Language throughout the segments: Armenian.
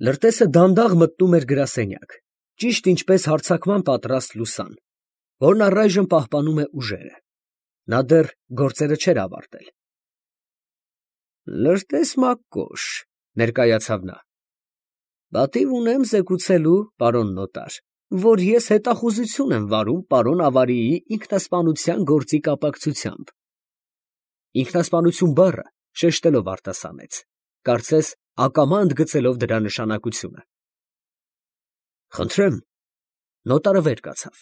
Լրտեսը դանդաղ մտնում էր գրասենյակ, ճիշտ ինչպես հարձակման պատրաստ լուսան, որն առայժմ պահպանում է ուժերը. նա դեռ գործերը չէր ավարտել։ Լրտես Մակկոշ, ներկայացավ նա, պատիվ ունեմ զեկուցելու, պարոն նոտար, որ ես հետախուզություն եմ վարում պարոն Ավարիի ինքնասպանության գործի կապակցությամբ։ Ինքնասպանություն բառը շեշտելով արտասանեց, կարծես ակամա ընդգծելով դրա նշանակությունը։ Խնդրեմ, նոտարը վեր կացավ,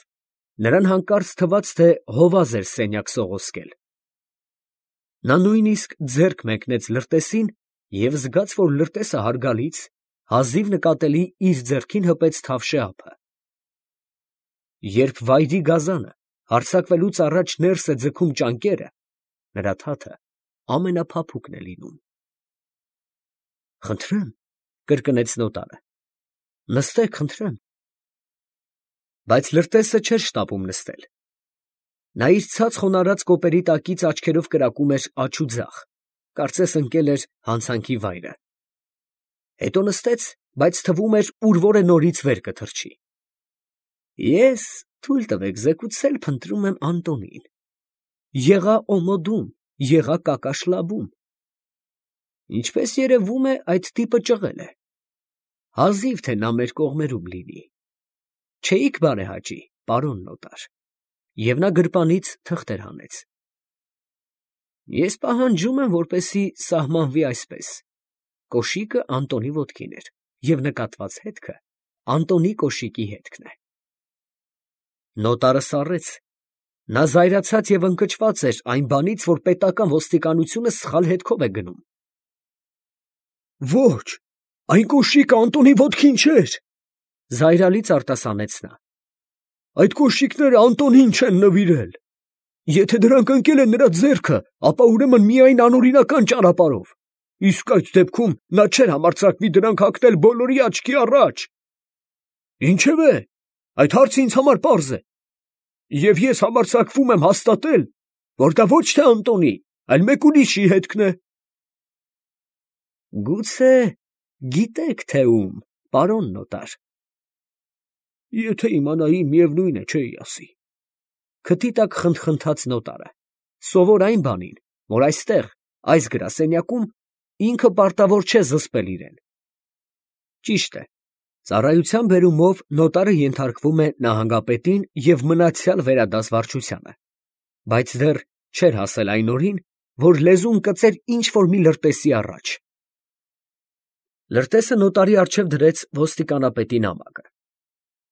նրան հանկարծ թվաց, թե հովազ էր սենյակ սողոսկել։ Նա նույնիսկ ձեռք մեկնեց լրտեսին և զգաց, որ լրտեսը հարգալից, հազիվ նկատելի իր ձեռքին հպեց թավշե ափը։ Երբ վայրի գազանը հարձակվելուց առաջ ներս է ձգում ճանկերը, նրա թաթը ամենափափուկն է լինում։ Խնդրեմ, կրկնեց նոտարը, նստեք, խնդրեմ։ Բայց լրտեսը չէր շտապում նստել։ Նա իր ցած խոնարհած կոպերի տակից աչքերով կրակում էր աջ ու ձախ, կարծես ընկել էր հանցանքի վայրը։ Հետո նստեց, բայց թվում էր ուր որ է նորից վեր կթռչի։ Ես, թույլ տվեք զեկուցել, փնտրում եմ Անտոնին։ Եղա Օմոդում, եղա Կակաշլաբում։ Ինչպես երևում է, այդ տիպը ճղել է։ Հազիվ թե նա մեր կողմերում լինի։ Չէիք բարեհաճի, պարոն նոտար։ Եվ նա գրպանից թղթեր հանեց։ Ես պահանջում եմ, որպեսզի սահմանվի այսպես. կոշիկը Անտոնի ոտքին էր, և նկատված հետքը Անտոնի կոշիկի հետքն է։ Նոտարը սառեց։ Նա զայրացած և ընկճված էր այն բանից, որ պետական ոստիկանությունը սխալ հետքով է գնում։ Ոչ, այն կոշիկը Անտոնի ոտքին չէր, զայրալից արտասանեց նա։ Այդ կոշիկները Անտոնին չեն նվիրել։ Եթե դրանք ընկել են նրա ձեռքը, ապա ուրեմն միայն անօրինական ճանապարհով, իսկ այդ դեպքում նա չէր համարձակվի դրանք հագնել բոլորի աչքի առաջ։ Ինչևէ, այդ հարցը ինձ համար պարզ է, և ես համարձակվում եմ հաստատել, որ դա ոչ թե Անտոնի, այլ մեկ ուրիշի հետքն է։ Գուցե գիտեք, թե ում, պարոն նոտար։ Եթե իմանայի, միևնույն է, չէի ասի։ Քթի տակ խնդխնդաց նոտարը, սովոր այն բանին, որ այստեղ, այս գրասենյակում, ինքը պարտավոր չէ զսպել իրեն։ Ճիշտ է, ծառայության բերումով նոտարը ենթարկվում է նահանգապետին և մնացյալ վերադաս վարչությանը, բայց դեռ չէր հասել այն օրին, որ լեզուն կծեր ինչ֊որ մի լրտեսի առաջ։ Լրտեսը նոտարի առջև դրեց ոստիկանապետի նամակը։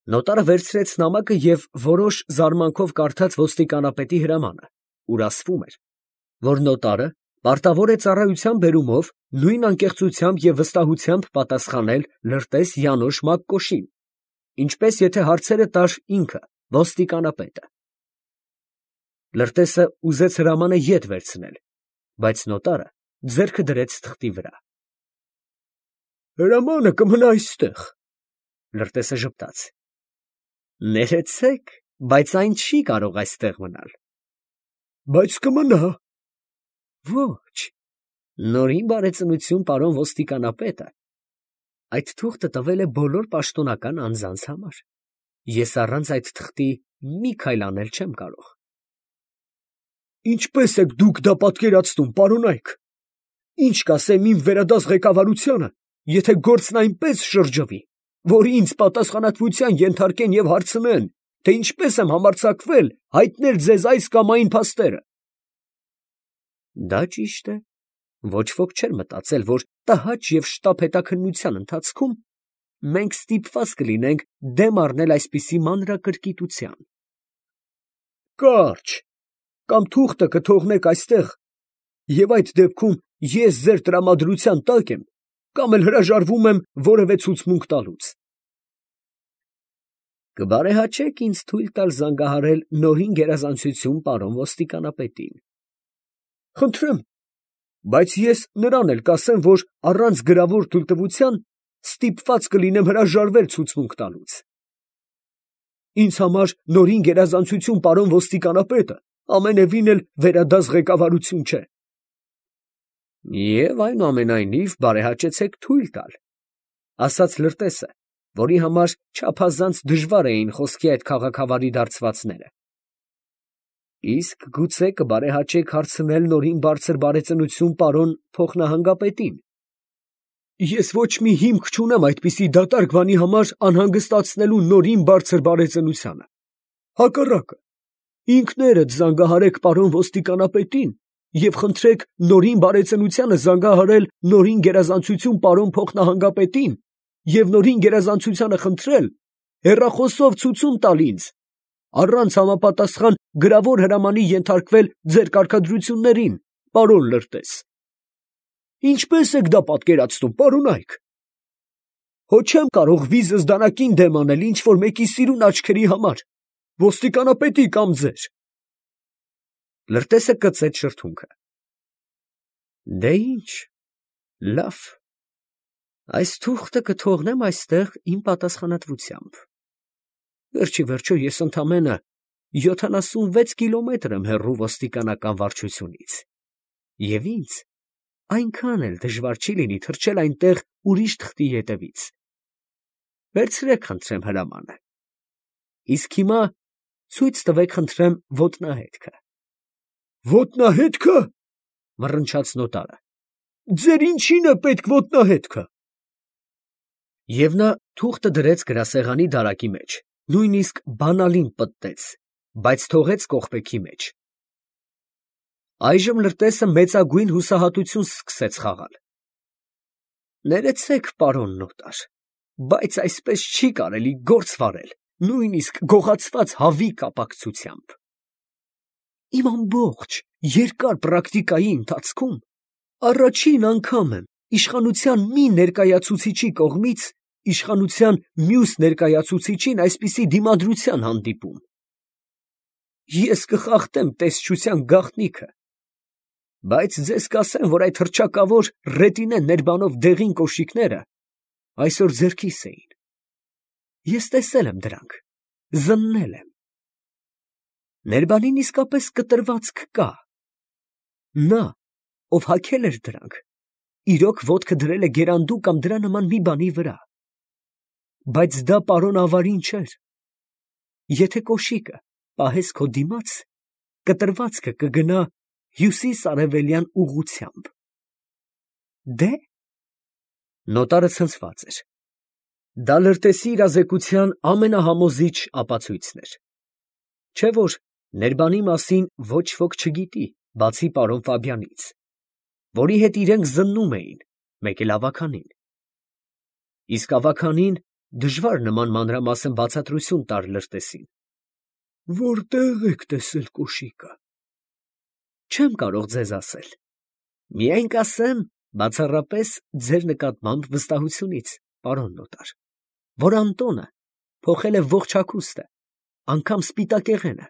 Նոտարը վերցրեց նամակը և որոշ զարմանքով կարդաց ոստիկանապետի հրամանը, ուր ասվում էր, որ նոտարը պարտավոր է ծառայության բերումով նույն անկեղծությամբ և վստահությամբ պատասխանել լրտես Յանոշ Մակկոշին, ինչպես եթե հարցերը տար ինքը, ոստիկանապետը։ Լրտեսը ուզեց հրամանը ետ վերցնել, բայց նոտարը ձեռքը դրեց թղթի վրա։ Հրամանը կմնա այստեղ։ Լրտեսը ժպտաց։ Ներեցեք, բայց այն չի կարող այստեղ մնալ։ Բայց կմնա։ Ոչ, նորին բարեծնություն, պարոն ոստիկանապետը, այդ թուղթը տվել է բոլոր պաշտոնական անձանց համար։ Ես առանց այդ թղթի մի քայլ անել չեմ կարող։ Ինչպես եք դուք դա պատկերացնում, պարոնայք։ Ինչ կասեմ իմ վերադաս ղեկավարությանը, եթե գործն այնպես շրջվի, որ ինձ պատասխանատվության ենթարկեն և հարցնեն, թե ինչպես եմ համարձակվել հայտնել ձեզ այս կամ այն փաստերը։ Դա ճիշտ է, ոչ ոք չէր մտածել, որ տհաճ և շտապ հետաքննության ընթացքում մենք ստիպված կլինենք դեմ առնել այսպիսի մանրակրկիտության։ Կարճ, կամ թուղթը կթողնեք այստեղ, և այդ դեպքում ես ձեր տրամադրության տակ եմ, կամ էլ հրաժարվում եմ որևէ ցուցմունք տալուց։ Կբարեհաճեք ինձ թույլ տալ զանգահարել նորին գերազանցություն պարոն ոստիկանապետին։ Խնդրեմ, բայց ես նրան էլ կասեմ, որ առանց գրավոր թույլտվության ստիպված կլինեմ հրաժարվել ցուցմունք տալուց։ Ինձ համար նորին գերազանցություն պարոն ոստիկանապետը ամենևին էլ վերադաս ղեկավարություն չէ։ Եվ այնուամենայնիվ բարեհաճեցեք թույլ տալ։ ասաց լրտեսը, որի համար չափազանց դժվար էին խոսքի այդ քաղաքավարի դարձվածները։ Իսկ գուցե կբարեհաճեք հարցնել նորին բարձր բարեծնություն պարոն փոխնահանգապետին։ Ես ոչ մի հիմք չունեմ այդպիսի դատարկ բանի համար անհանգստացնելու նորին բարձր բարեծնությանը։ Հակառակը, ինքներդ զանգահարեք պարոն ոստիկանապետին և խնդրեք նորին բարեծնությանը զանգահարել նորին գերազանցություն պարոն փոխնահանգապետին և նորին գերազանցությանը խնդրել հեռախոսով ցուցում տալ ինձ, առանց համապատասխան գրավոր հրամանի ենթարկվել ձեր կարգադրություններին, պարոն լրտես։ Ինչպե՞ս եք դա պատկերացնում, պարոնայք։ Հո չեմ կարող վիզս դանակին դեմ անել ինչ-որ մեկի սիրուն աչքերի համար, ոստիկանապետի կամ ձեր։ Լրտեսը կծեց շրթունքը։ Դե ինչ, լավ, այս թուղթը կթողնեմ այստեղ իմ պատասխանատվությամբ։ Վերջի վերջո ես ընդամենը 76 կիլոմետր եմ հեռու ոստիկանական վարչությունից, և ինձ այնքան էլ դժվար չի լինի թռչել այնտեղ ուրիշ թղթի ետևից։ Վերցրեք, խնդրեմ, հրամանը։ Իսկ հիմա ցույց տվեք, խնդրեմ, ոտնահետքը։ Ոտնահետքը, մռնչաց նոտարը, ձեր ինչին է պետք ոտնահետքը։ Եվ նա թուղթը դրեց գրասեղանի դարակի մեջ, նույնիսկ բանալին պտտեց, բայց թողեց կողպեքի մեջ։ Այժմ լրտեսը մեծագույն հուսահատություն սկսեց խաղալ։ Ներեցեք, պարոն նոտար, բայց այսպես չի կարելի գործ վարել, նույնիսկ գողացված հավի կապակցությամբ։ Իմ ամբողջ երկար պրակտիկայի ընթացքում առաջին անգամ եմ իշխանության մի ներկայացուցիչի կողմից իշխանության մյուս ներկայացուցիչին այսպիսի դիմադրության հանդիպում։ Ես կխախտեմ տեսչության գաղտնիքը, բայց ձեզ կասեմ, որ այդ հռչակավոր ռետինե ներբանով դեղին կոշիկները այսօր ձեռքիս էին։ Ես տեսել եմ դրանք, զննել եմ։ Ներբանին իսկապես կտրվածք կա։ Նա, ով հագել էր դրանք, իրոք ոտքը դրել է գերանդու կամ դրա նման մի բանի վրա։ Բայց դա պարոն ավարին չէր։ Եթե կոշիկը պահես քո դիմաց, կտրվածքը կգնա հյուսիս֊արևելյան ուղղությամբ։ Դե՞։ Նոտարը ցնցված էր։ Դա լրտեսի իրազեկության ամենահամոզիչ ապացույցն էր։ Չէ՞ որ ներբանի մասին ոչ ոք չգիտի, բացի պարոն Ֆաբյանից, որի հետ իրենք զննում էին, մեկ էլ ավագանին։ Իսկ ավագանին դժվար նման մանրամասն բացատրություն տար լրտեսին։ Որտե՞ղ եք տեսել կոշիկը։ Չեմ կարող ձեզ ասել։ Միայն կասեմ, բացառապես ձեր նկատմամբ վստահությունից, պարոն նոտար, որ Անտոնը փոխել է ողջ հագուստը, անգամ սպիտակեղենը,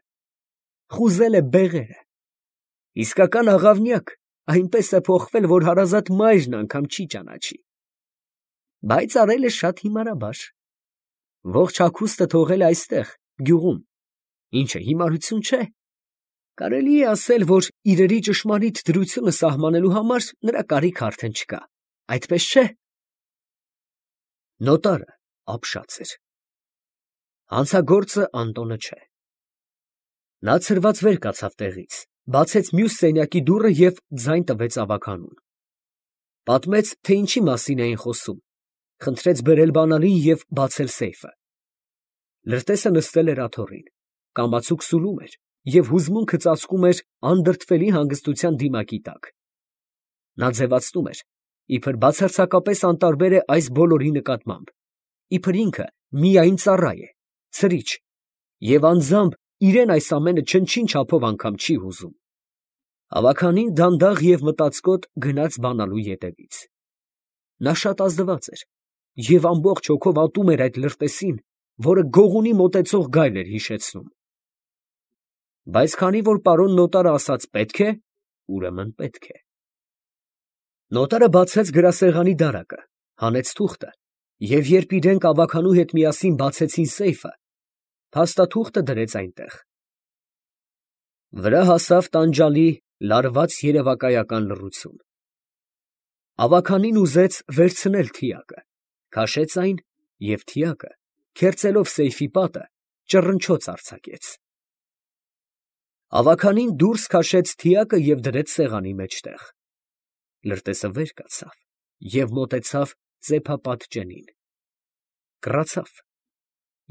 խուզել է բեղերը, իսկական աղավնյակ, այնպես է փոխվել, որ հարազատ մայրն անգամ չի ճանաչի, բայց արել է շատ հիմարաբար, ողջ հագուստը թողել է այստեղ, գյուղում, ինչը հիմարություն չէ, կարելի է ասել, որ իրերի ճշմարիտ դրությունը սահմանելու համար նրա կարիքը արդեն չկա, այդպես չէ։ Նոտարը ապշած էր։ Հանցագործը Անտոնը չէ։ Նա ցրված վեր կացավ տեղից, բացեց մյուս սենյակի դուռը և ձայն տվեց ավագանուն։ Պատմեց, թե ինչի մասին էին խոսում, խնդրեց բերել բանալին և բացել սեյֆը։ Լրտեսը նստել էր աթոռին, կամացուկ սուլում էր և հուզմունքը ծածկում էր անդրդվելի հանգստության դիմակի տակ։ Նա ձևացնում էր, իբր բացարձակապես անտարբեր է այս բոլորի նկատմամբ, իբր ինքը միայն ծառա է, ցրիչ, և անձամբ իրեն այս ամենը չնչին չափով անգամ չի հուզում։ Ավագանին դանդաղ և մտածկոտ գնաց բանալու ետևից։ Նա շատ ազդված էր և ամբողջ հոգով ատում էր այդ լրտեսին, որը գողունի մոտեցող գայլ էր հիշեցնում։ Բայց քանի որ պարոն նոտարը ասաց պետք է, ուրեմն պետք է։ Նոտարը բացեց գրասեղանի դարակը, հանեց թուղթը, և երբ իրենք ավագանու հետ միասին բացեցին սեյֆը, փաստաթուղթը դրեց այնտեղ։ Վրա հասավ տանջալի, լարված երևակայական լռություն։ Ավագանին ուզեց վերցնել թիակը, Քաշեց այն և թիակը, քերծելով սեյֆի պատը, ճռնչոց արձակեց։ Ավագանին դուրս քաշեց թիակը և դրեց սեղանի մեջտեղ։ Լրտեսը վեր կացավ և մոտեցավ ծեփապատ ջենին։ Կռացավ,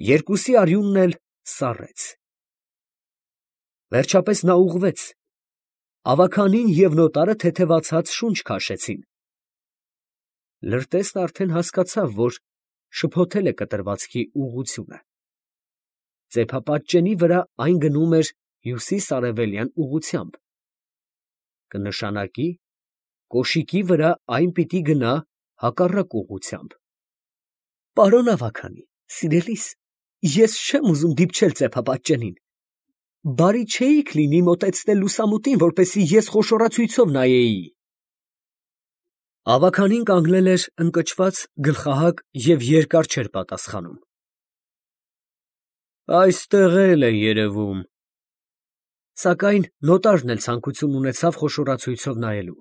երկուսի արյունն էլ սառեց։ Վերջապես նա ուղղվեց։ Ավագանին և նոտարը թեթևացած շունչ քաշեցին։ Լրտեսն արդեն հասկացավ, որ շփոթել է կտրվածքի ուղղությունը։ Ծեփապատ ջենի վրա այն գնում էր հյուսիս֊արևելյան ուղղությամբ, կնշանակի կոշիկի վրա այն պիտի գնա հակառակ ուղղությամբ։ Պարոն ավագանի, սիրելիս, ես չեմ ուզում դիպչել ծեփապատ ջենին, բարի չէիք լինի մոտեցնել լուսամուտին, որպեսզի ես խոշորացույցով նայեի։ Ավագանին կանգնել էր ընկճված, գլխահակ և երկար չէր պատասխանում։ Այստեղ էլ է երևում։ Սակայն նոտարն էլ ցանկություն ունեցավ խոշորացույցով նայելու,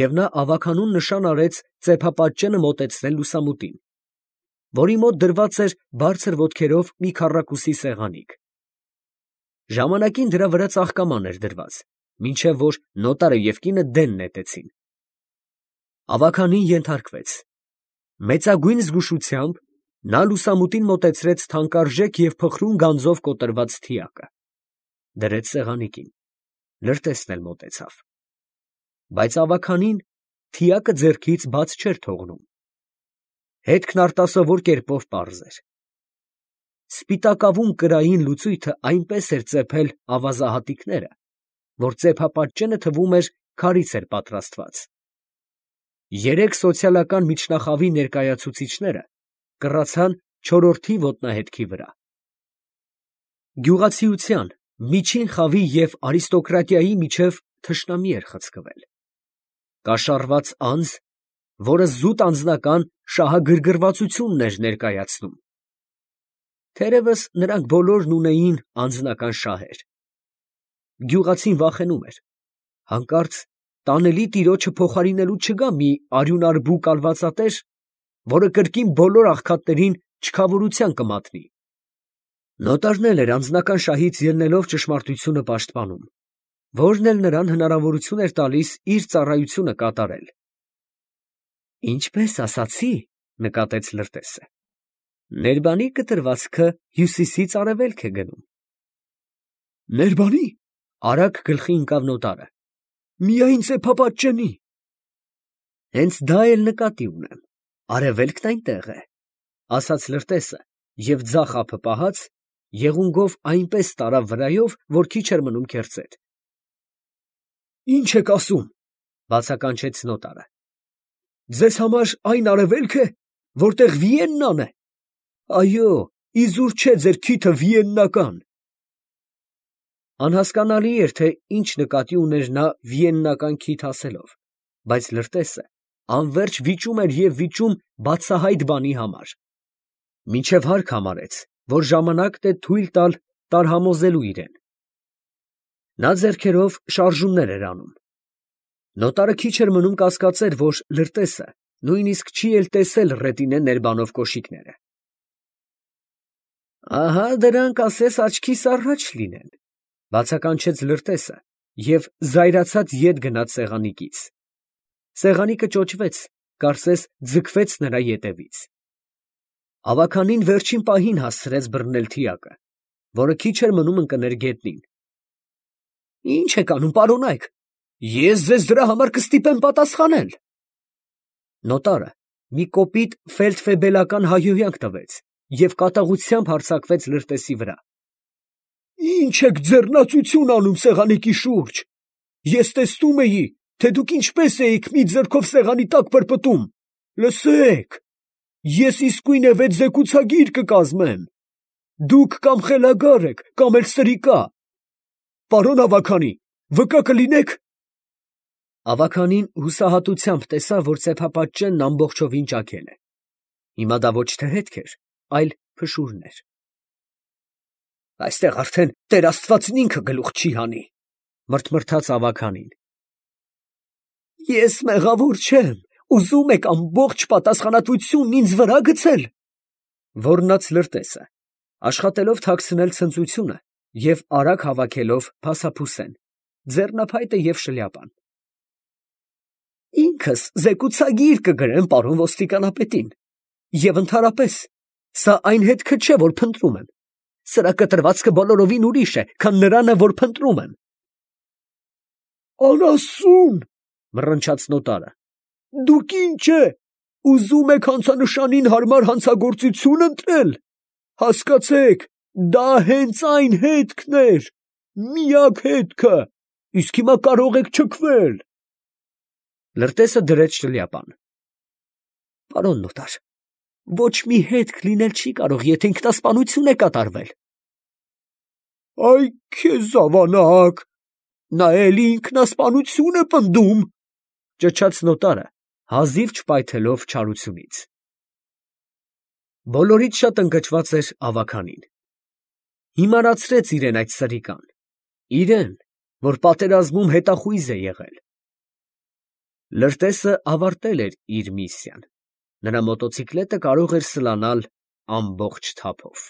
և նա ավագանուն նշան արեց ծեփապատ ջենը մոտեցնել լուսամուտին, որի մոտ դրված էր բարձր ոտքերով մի քառակուսի սեղանիկ։ Ժամանակին դրա վրա ծաղկաման էր դրված, մինչև որ նոտարը և կինը դեն նետեցին։ Ավագանին ենթարկվեց։ Մեծագույն զգուշությամբ նա լուսամուտին մոտեցրեց թանկարժեք և փխրուն գանձով կոտրված թիակը, դրեց սեղանիկին, լրտեսն էլ մոտեցավ։ Բայց ավագանին թիակը ձեռքից բաց չէր թողնում։ Հետքն արտասովոր կերպով պարզ էր։ Սպիտակավուն կրային լուծույթը այնպես էր ծեփել ավազահատիկները, որ ծեփապատ ջենը թվում էր քարից էր պատրաստված։ Երեք սոցիալական միջնախավի ներկայացուցիչները կռացան չորրորդի ոտնահետքի վրա։ Գյուղացիության, միջին խավի և արիստոկրատիայի միջև թշնամի էր խցկվել։ Կաշառված անձ, որը զուտ անձնական շահագրգռվածությունն էր ներկայացնում։ Թերևս նրանք բոլորն ունեին անձնական շահեր։ Գյուղացին վախենում էր, հանկարծ տանելի տիրոջը փոխարինելու չգա մի արյունարբու կալվածատեր, որը կրկին բոլոր աղքատներին չքավորության կմատնի։ Նոտարն էլ էր անձնական շահից ելնելով ճշմարտությունը պաշտպանում, որն էլ նրան հնարավորություն էր տալիս իր ծառայությունը կատարել։ Ինչպես ասացի, նկատեց լրտեսը, ներբանի կտրվածքը հյուսիսից արևելք է գնում։ Ներբանի, արագ գլխի ընկավ նոտարը, միայն ծեփապատ ջենի։ Հենց դա էլ նկատի ունեմ, արևելքն այնտեղ է, ասաց լրտեսը և ձախ ափը պահած, եղունգով այնպես տարավ վրայով, որ քիչ էր մնում քերծեր։ Ի՞նչ եք ասում, բացականչեց նոտարը։ Ձեզ համար այն արևելք է, որտեղ Վիեննան է։ Այո, իզուր չէ ձեր քիթը վիեննական։ Անհասկանալի էր, թե ինչ նկատի ուներ նա վիեննական քիթ ասելով, բայց լրտեսը անվերջ վիճում էր և վիճում բացահայտ բանի համար, մինչև հարկ համարեց, որ ժամանակն է թույլ տալ տարհամոզելու իրեն։ Նա ձեռքերով շարժումներ էր անում։ Նոտարը քիչ էր մնում կասկածեր, որ լրտեսը նույնիսկ չի էլ տեսել ռետինե ներբանող կոշիկները։ Ահա դրանք ասես աչքիս առաջ լինեն, բացականչեց լրտեսը և զայրացած ետ գնաց սեղանիկից։ Սեղանիկը ճոճվեց, կարծես ձգվեց նրա ետևից։ Ավագանին վերջին պահին հասցրեց բռնել թիակը, որը քիչ էր մնում ընկներ գետնին։ Ի՞նչ եք անում, պարոնայք, ես ձեզ դրա համար կստիպեմ պատասխանել։ Նոտարը մի կոպիտ ֆելդֆեբելական հայհոյանք տվեց և կատաղությամբ հարձակվեց լրտեսի վրա։ Ի՞նչ եք ձեռնացություն անում սեղանիկի շուրջ։ Ես տեսնում էի, թե դուք ինչպես էիք մի ձեռքով սեղանի տակ պրպտում։ Լսեք, ես իսկույնևեթ զեկուցագիր կկազմեմ։ Դուք կամ խելագար եք, կամ էլ սրիկա։ Պարոն ավագանի, վկա կլինեք։ Ավագանին հուսահատությամբ տեսավ, որ ծեփապատ ջենն ամբողջովին ճաքել է։ Հիմա դա ոչ թե հետք էր, այլ փշուրներ։ Այստեղ արդեն Տեր Աստվածն ինքը գլուխ չի հանի, մրթմրթաց ավագանին։ Ես մեղավոր չեմ, Ուզում եք ամբողջ պատասխանատվությունն ինձ վրա գցել։ Ոռնաց լրտեսը, աշխատելով թաքցնել ցնծությունը և արագ հավաքելով փասափուսեն, ձեռնափայտը և շլյապան։ Ինքս զեկուցագիր կգրեմ պարոն ոստիկանապետին, և ընդհանրապես, սա այն հետքը չէ, որ փնտրում եմ. սրա կտրվածքը բոլորովին ուրիշ է, քան նրանը, որ փնտրում եմ։ Անասուն, մռնչաց նոտարը, դուք ինչ է, ուզում եք հանցանշանին հարմար հանցագործություն ընտրել, հասկացեք, դա հենց այն հետքն էր, միակ հետքը, իսկ հիմա կարող եք չքվել։ Լրտեսը դրեց շլյապան։ Պարոն նոտար, ոչ մի հետք լինել չի կարող, եթե ինքնասպանություն է կատարվել։ Այ քեզ ավանակ, նա էլի ինքնասպանություն է պնդում, ճչաց նոտարը, հազիվ չպայթելով չարությունից։ Բոլորից շատ ընկճված էր ավագանին։ Հիմարացրեց իրեն այդ սրիկան, իրեն, որ պատերազմում հետախույզ է եղել։ Լրտեսը ավարտել էր իր միսիան, նրա մոտոցիկլետը կարող էր սլանալ ամբողջ թափով։